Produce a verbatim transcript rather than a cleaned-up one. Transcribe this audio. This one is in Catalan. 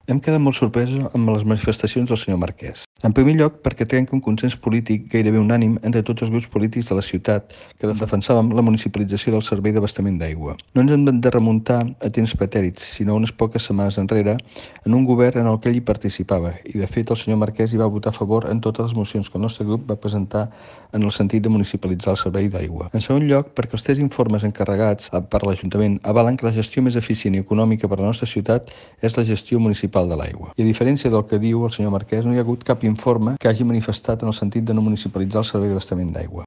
Hem quedat molt sorpresos amb les manifestacions del senyor Marquès. En primer lloc, perquè trenca un consens polític gairebé unànim entre tots els grups polítics de la ciutat que defensàvem la municipalització del servei d'abastament d'aigua. No ens hem de remuntar a temps pretèrits, sinó unes poques setmanes enrere, en un govern en el que ell hi participava, i de fet el senyor Marquès hi va votar a favor en totes les mocions que el nostre grup va presentar en el sentit de municipalitzar el servei d'aigua. En segon lloc, perquè els tres informes encarregats per l'Ajuntament avalen que la gestió més eficient i econòmica per a la nostra ciutat és la gestió municipal de l'aigua. I a diferència del que diu el senyor Marquès, no hi ha hagut cap informe que hagi manifestat en el sentit de no municipalitzar el servei d'abastament d'aigua.